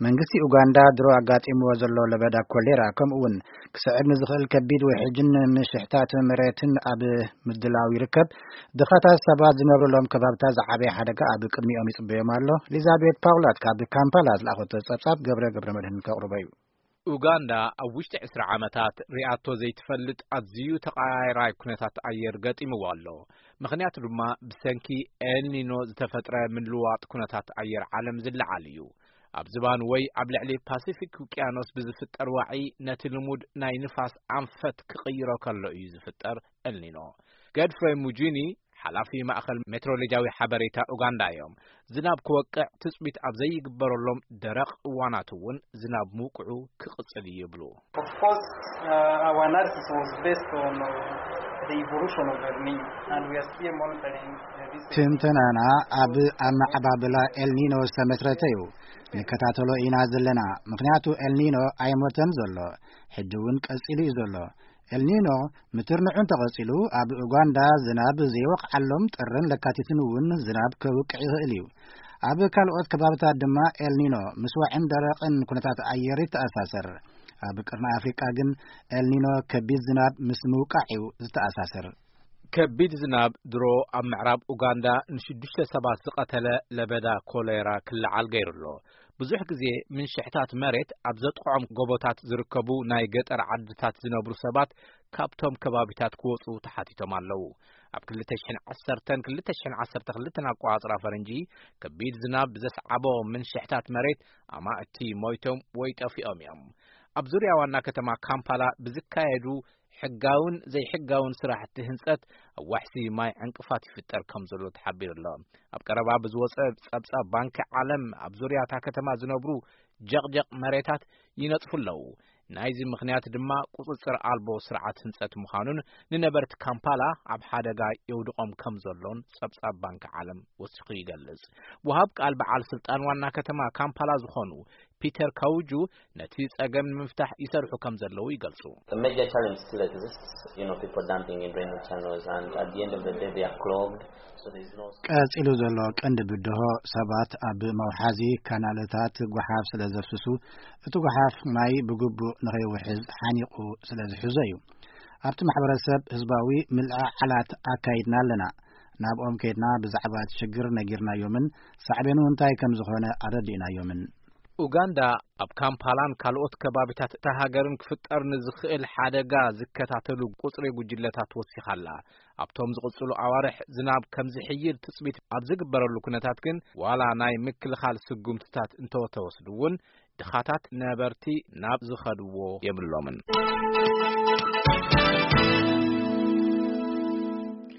መንግስቲ ኡጋንዳ ድሮ ኣጋጢምዎ ዘሎ ለበዳ ኮሌራ፣ ከምኡ እውን ክስዕብ ንዝኽእል ከቢድ ውሕጅን ምሽሕታት መሬትን ኣብ ምድላው ይርከብ። ድኻታት ሰባት ዝነብሩሎም ከባብታት ዝዓበየ ሓደጋ ኣብ ቅድሚኦም ይጽበዮም ኣሎ። ኤሊዛቤት ፓውላት ካብ ካምፓላ ዝለኣኸቶ ጸብጻብ ገብረ ገብረ መድህን ከቕርቦ እዩ። ኡጋንዳ ኣብ ውሽጢ ዕስራ ዓመታት ሪኣቶ ዘይትፈልጥ ኣዝዩ ተቐያይራይ ኩነታት ኣየር ገጢምዋ ኣሎ። ምኽንያቱ ድማ ብሰንኪ ኤልኒኖ ዝተፈጥረ ምልዋጥ ኩነታት ኣየር ዓለም ዝለዓል እዩ። ኣብ ዝባን ወይ ኣብ ልዕሊ ፓሲፊክ ውቅያኖስ ብዝፍጠር ዋዒ ነቲ ልሙድ ናይ ንፋስ ኣንፈት ክቕይሮ ከሎ እዩ ዝፍጠር ኤልኒኖ። ገድፍሬ ሙጂኒ፣ ሓላፊ ማእኸል ሜትሮሎጂያዊ ሓበሬታ ኡጋንዳ እዮም። ዝናብ ክወቅዕ ትጽቢት ኣብ ዘይግበረሎም ደረቕ እዋናት እውን ዝናብ ምውቅዑ ክቕጽል እዩ ይብሉ። Of course, uh, our analysis was based on uh, the evolution of El Nino, and we are still monitoring uh, this. ትንተናና ኣብ ኣመዓባብላ ኤልኒኖ ዝተመስረተ እዩ። ንከታተሎ ኢና ዘለና። ምኽንያቱ ኤልኒኖ ኣይሞተን ዘሎ፣ ሕጂ እውን ቀጺሉ እዩ ዘሎ። ኤልኒኖ ምትርንዑ እንተቐጺሉ፣ ኣብ ኡጋንዳ ዝናብ ዘይወቕዓሎም ጥርን ለካቲትን እውን ዝናብ ከውቅዕ ይኽእል እዩ። ኣብ ካልኦት ከባብታት ድማ ኤልኒኖ ምስ ዋዕን ደረቕን ኩነታት ኣየር ይተኣሳሰር። ኣብ ቅርኒ ኣፍሪቃ ግን ኤልኒኖ ከቢድ ዝናብ ምስ ምውቃዕ እዩ ዝተኣሳሰር። ከቢድ ዝናብ ድሮ ኣብ ምዕራብ ኡጋንዳ ንሽዱሽተ ሰባት ዝቐተለ ለበዳ ኮሌራ ክለዓል ገይሩ ኣሎ። ብዙሕ ግዜ ምንሽሕታት መሬት ኣብ ዘጥቕዖም ጎቦታት ዝርከቡ ናይ ገጠር ዓድታት ዝነብሩ ሰባት ካብቶም ከባቢታት ክወጹ ተሓቲቶም ኣለዉ። ኣብ ክልተ ሽሕን ዓሰርተን ክልተ ሽሕን ዓሰርተ ክልተን ኣቆጻጽራ ፈረንጂ፣ ከቢድ ዝናብ ብዘስዓቦ ምንሽሕታት መሬት ኣማእቲ ሞይቶም ወይ ጠፊኦም እዮም። ኣብ ዙርያ ዋና ከተማ ካምፓላ ብዝካየዱ ሕጋውን ዘይሕጋውን ስራሕቲ ህንጸት ኣብ ዋሕሲ ማይ ዕንቅፋት ይፍጠር ከም ዘሎ ተሓቢሩ ኣሎ። ኣብ ቀረባ ብዝወጸ ጸብጻብ ባንኪ ዓለም ኣብ ዙርያ እታ ከተማ ዝነብሩ ጀቕጀቕ መሬታት ይነጥፉ ኣለዉ። ናይዚ ምኽንያት ድማ ቁጽጽር ኣልቦ ስርዓት ህንጸት ምዃኑን ንነበርቲ ካምፓላ ኣብ ሓደጋ የውድቖም ከም ዘሎን ጸብጻብ ባንኪ ዓለም ወሲኹ ይገልጽ። ወሃብ ቃል በዓል ስልጣን ዋና ከተማ ካምፓላ ዝኾኑ ፒተር ካውጁ ነቲ ጸገም ንምፍታሕ ይሰርሑ ከም ዘለዉ ይገልጹ። The major challenge still exists, you know, people dumping in drainage channels, and at the end of the day, they are clogged. So there's no ቀጺሉ ዘሎ ቀንዲ ብድሆ ሰባት ኣብ መውሓዚ ካናልታት ጓሓፍ ስለ ዘፍስሱ፣ እቲ ጓሓፍ ማይ ብግቡእ ንኸይውሕዝ ሓኒቑ ስለ ዝሕዞ እዩ። ኣብቲ ማሕበረሰብ ህዝባዊ ምልዕዓላት ኣካይድና ኣለና። ናብኦም ከይድና ብዛዕባ እቲ ሽግር ነጊርናዮምን ሳዕቤኑ እንታይ ከም ዝኾነ ኣረዲእናዮምን። ኡጋንዳ ኣብ ካምፓላን ካልኦት ከባቢታት እታ ሃገርን ክፍጠር ንዝኽእል ሓደጋ ዝከታተሉ ቁጽሪ ጉጅለታት ወሲኻ ኣላ። ኣብቶም ዝቕጽሉ ኣዋርሕ ዝናብ ከም ዝሕይል ትጽቢት ኣብ ዝግበረሉ ኩነታት ግን፣ ዋላ ናይ ምክልኻል ስጉምትታት እንተተወስዱ እውን፣ ድኻታት ነበርቲ ናብ ዝኸድዎ የብሎምን።